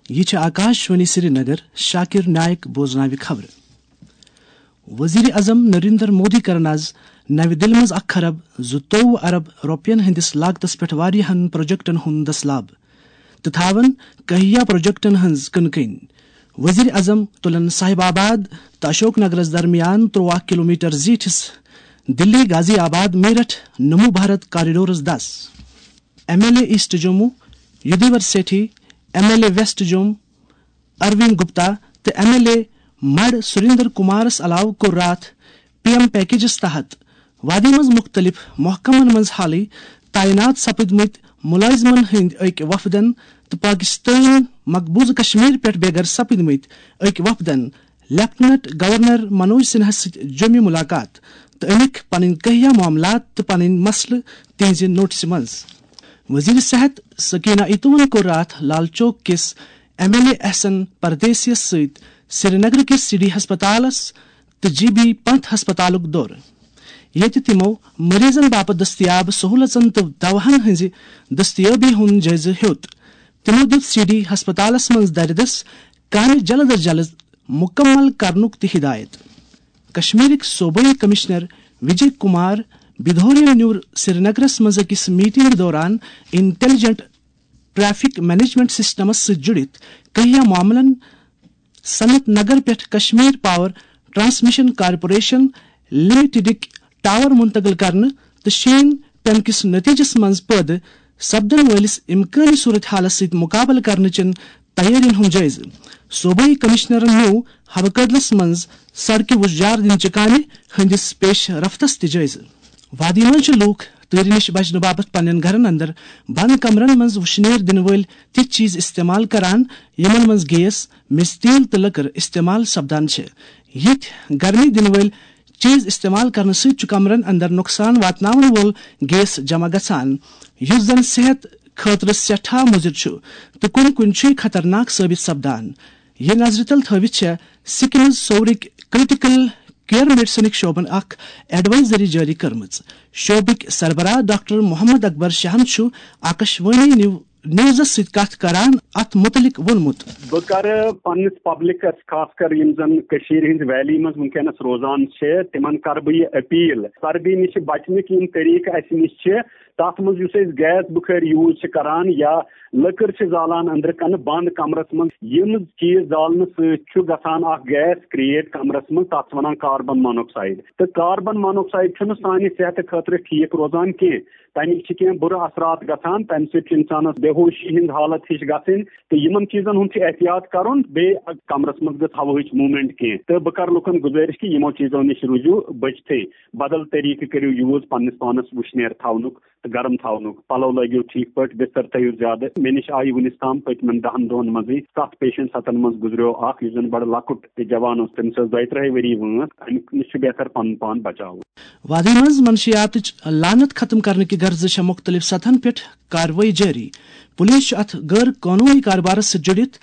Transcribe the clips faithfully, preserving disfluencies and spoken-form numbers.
یہِ چھِ آکاش وانی سرینگر۔ شاکر نائک بوزناوِ خبرٕ۔ وزیر اعظم نریندر مودی کرن آز نوِ دِلہِ منٛز اکھ خرب زٕتووُہ ارب رۄپین ہٕنٛدِس لاگتس پٮ۪ٹھ واریاہن پروجیکٹن ہُنٛد دسلاب تہٕ تھاون کہیا پروجیکٹن ہٕنٛز کٕنہٕ کٕنۍ۔ وزیر اعظم تُلن صاحب آباد تہٕ اشوک نگرس درمیان ترٛواہ کلومیٹر زیٖٹھِس دِلی غازی آباد میرٹھ نمو بھارت کاریڈورس دس۔ M L A east Jammu Yudhvir Sethi, M L A west Jammu Arvind Gupta تہٕ ایم ایل اے مڑ سریندر کمارس علاوٕ کوٚر راتھ پی ایم پیکیجس تحت وادی منٛز مُختٔلِف محکمن منٛز حالٕے تعینات سپٕدمٕتۍ مُلٲزمن ہٕنٛدۍ أکۍ وفدن تہٕ پاکستٲنۍ مقبوضہٕ کشمیر پٮ۪ٹھ بے گھر سپٕدمٕتۍ أکۍ وفدن لیفٹیننٹ گورنر منوج سنہاہس سۭتۍ جوٚمہِ مُلاقات تہٕ أنِکھ پنٕنۍ کہیا معاملات تہٕ پنٕنۍ مسلہٕ تِہنٛزِ نوٹسہِ منٛز۔ وزیر صحت سکینہ ایتوہن کوٚر راتھ لال چوک کِس ایم ایل اے احسن پردیسیس سۭتۍ سرینگر کِس سی ڈی ہسپتالس تہٕ جی بی پنت ہسپتالُک دورٕ، ییٚتہِ تِمو مریضن باپتھ دٔستیاب سہولژن تہٕ دواہن ہٕنٛزِ دٔستیٲبی ہُنٛد جٲیزٕ ہیوٚت۔ تِمو دِیُت سی ڈی ہسپتالس منٛز دردس کامہِ جلد از جلد مُکمل کرنُک تہِ ہدایت۔ کشمیرٕکۍ صوبٲئی کمشنر وجے کمار بدھورین نیوٗر سرینگرس منٛز أکِس میٹنگ دوران انٹیلیجنٹ ٹریفک مینجمنٹ سسٹمس سۭتۍ جُڑِتھ کہیا معاملن، صنعت نگر پٮ۪ٹھ کشمیر پاور ٹرانسمیشن کارپوریشن لمیٹڈٕکۍ ٹاور منتقل کرنہٕ تہٕ شین پینہٕ کِس نتیجس منٛز پٲدٕ سپدن وٲلِس امکٲنی صورتحالس سۭتۍ مقابلہٕ کرنہٕ چٮ۪ن تیٲرین ہُنٛد جٲیزٕ۔ صوبٲئی کمشنرن نیوٗ ہوہ کدلس منٛز سڑکہِ وُژجار دِنہٕ چہِ کامہِ ہٕنٛدِس پیش رفتس تہِ جٲیزٕ۔ وادی منٛز چھِ لوٗکھ تۭرِ نِش بچنہٕ باپتھ پننٮ۪ن گرن اندر بند کمرن منٛز وُشنیر دِنہٕ وٲلۍ تِتھۍ چیٖز استعمال کران، یِمن منٛز گیس، میٚژِ تیٖل تہٕ لٔکٕر استعمال سپدان چھِ۔ یِتھۍ گرمی دِنہٕ وٲلۍ چیٖز استعمال کرنہٕ سۭتۍ چھُ کمرن اندر نۄقصان واتناون وول گیس جمع گژھان، یُس زن صحت خٲطرٕ سٮ۪ٹھاہ مُضِر چھُ تہٕ کُنہِ کُنہِ چھُ یہِ خطرناک ثٲبت سپدان۔ یہِ نظرِ تل تھٲوِتھ چھےٚ سکمز صوورٕکۍ کرٹیکل کیئر میڈیسنٕکۍ شعبن اکھ ایڈوائزری جٲری کٔرمٕژ۔ شعبٕکۍ سربراہ ڈاکٹر محمد اکبر شاہن چھُ آکاشوانی نیو-، نیوزس سۭتۍ کتھ کران اتھ متعلق ووٚنمُت۔ بہٕ کرٕ پننِس پبلکس، خاص کر یِم زن کٔشیٖرِ ہٕنٛز ویلی منٛز وٕنکیٚنس روزان چھِ، تِمن کرٕ بہٕ یہِ اپیل، سردی نِش بچنٕکۍ یِم طریقہٕ اسہِ نِش چھِ، تتھ منٛز یُس أسۍ گیس بُخٲرۍ یوٗز چھِ کران یا لٔکٕر چھِ زالان أنٛدرٕ کنہٕ بنٛد کمرس منٛز، یِم چیٖز زالنہٕ سۭتۍ چھُ گژھان اکھ گیس کریٹ کمرس منٛز، تتھ چھِ ونان کاربن مونوکسائیڈ۔ تہٕ کاربن مونوکسائیڈ چھُنہٕ سانہِ صحتہٕ خٲطرٕ ٹھیٖک روزان کینٛہہ۔ تَمِکۍ چھِ کینٛہہ بُرٕ اثرات گژھان، تَمہِ سۭتۍ چھِ اِنسانَس بے ہوشی ہِنٛز حالت ہِش گژھٕنۍ، تہٕ یِمَن چیٖزَن ہُنٛد چھُ احتیاط کَرُن۔ بیٚیہِ کَمرَس منٛز گٔژھ ہوہٕچ موٗمٮ۪نٛٹ کینٛہہ، تہٕ بہٕ کَرٕ لُکَن گُزٲرِش کہِ یِمو چیٖزو نِش روٗزِو بٔچتھٕے، بدل طریٖقہٕ کٔرِو یوٗز پنٛنِس پانَس وُشنیر تھاونُک تہٕ گرم تھاونُک، پَلو لٲگِو ٹھیٖک پٲٹھۍ، بِستَر تھٲیِو زیادٕ۔ مےٚ نِش آیہِ وُنِس تام پٔتمٮ۪ن دَہَن دۄہَن منٛزٕے سَتھ پیشنٹ، سَتَن منٛز گُزریو اَکھ یُس زَن بَڑٕ لۄکُٹ تہٕ جوان اوس، تٔمِس ٲس دۄیہِ ترٛہہِ ؤری وٲنٛس، اَمہِ نِش چھُ بہتر پَنُن پان بچاوُن۔ وادی منٛز منشیاتٕچ لعنت ختم کرنہٕ کہِ غرضہٕ چھےٚ مُختٔلِف سطحن پٮ۪ٹھ کاروٲیی جٲری۔ پُلیٖس چھُ اَتھ غٲر قونوٗنی کاربارس سۭتۍ جُڑِتھ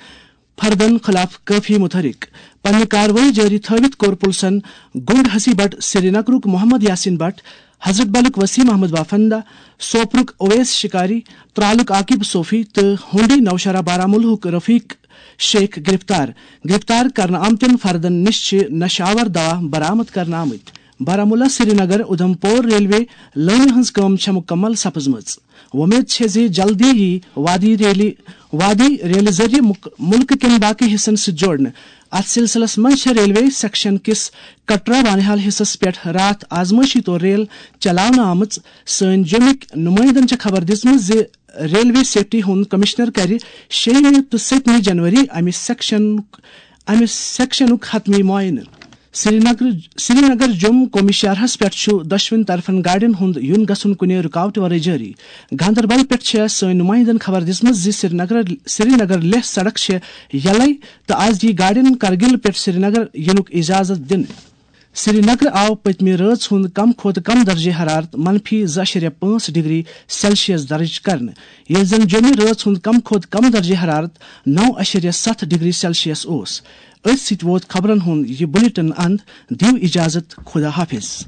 فردن خلاف کٲفی متحرک۔ پننہِ کاروٲیی جٲری تھٲوِتھ کوٚر پُلسن گُنڈ ہسی بٹ سرینگرُک محمد یاسین بٹ، حضرت بلُک وسیم احمد بافندہ، سوپرُک اویس شکاری، ترالُک عاقب صوفی تہٕ ہونڈی نوشہرہ بارہمولہُک رفیق شیخ گرفتار۔ گرفتار کرنہٕ آمتٮ۪ن فردن نِش چھِ نشہٕ آور دوا برآمد کرنہٕ آمٕتۍ۔ بارہمولہ سرینگر اُدھمپور ریلوے لٲنہِ ہٕنٛز کٲم چھےٚ مُکمل سپٕزمٕژ۔ وۄمید چھےٚ زِ جلدی یی وادی ریلی، وادی ریلہِ ذٔریعہٕ مُک-، مُلکہٕ کٮ۪ن باقٕے حصن سۭتۍ جوڑنہٕ۔ اتھ سلسلس منٛز چھےٚ ریلوے سیکشن کِس کٹرا بانہال حصس پٮ۪ٹھ راتھ آزمٲیشی طور ریل چلاونہٕ آمٕژ۔ سٲنۍ جوٚمِکۍ نُمٲیندن چھےٚ خبر دِژمٕژ زِ ریلوے سیفٹی ہُنٛد کمشنر کرِ شیٚیِمہِ تہٕ سٔتمہِ جنوری امہِ سیکشن، امہِ سیکشنُک حتمی معائنہٕ۔ سرینگر، سرینگر جوٚم قومی شاہراہس پٮ۪ٹھ چھُ دۄشوٕنی طرفن گاڑٮ۪ن ہُنٛد یُن گژھُن کُنہِ رُکاوٹہٕ ورٲے جٲری۔ گاندربل پٮ۪ٹھ چھےٚ سٲنۍ نُمٲیندن خبر دِژمٕژ زِ سرینگر، سرینگر لیہہ سڑک چھےٚ یلے تہٕ از یی گاڑٮ۪ن کرگل پٮ۪ٹھ سرینگر یِنُک اجازت دِنہٕ۔ سرینگر آو پٔتمہِ رٲژ ہُنٛد کم کھۄتہٕ کم درجہ حرارت منفی زٕ اعشاریہ پانٛژھ ڈگری سیلسیس درج کرنہٕ، ییٚلہِ زن جوٚمہِ رٲژ ہُنٛد کم کھۄتہٕ کم درجہ حرارت نو اعشاریہ ستھ ڈگری سیلسیس اوس۔ أتھۍ سۭتۍ ووت خبرن ہُنٛد یہِ بلیٹن اند۔ دِیِو اجازت، خدا حافظ۔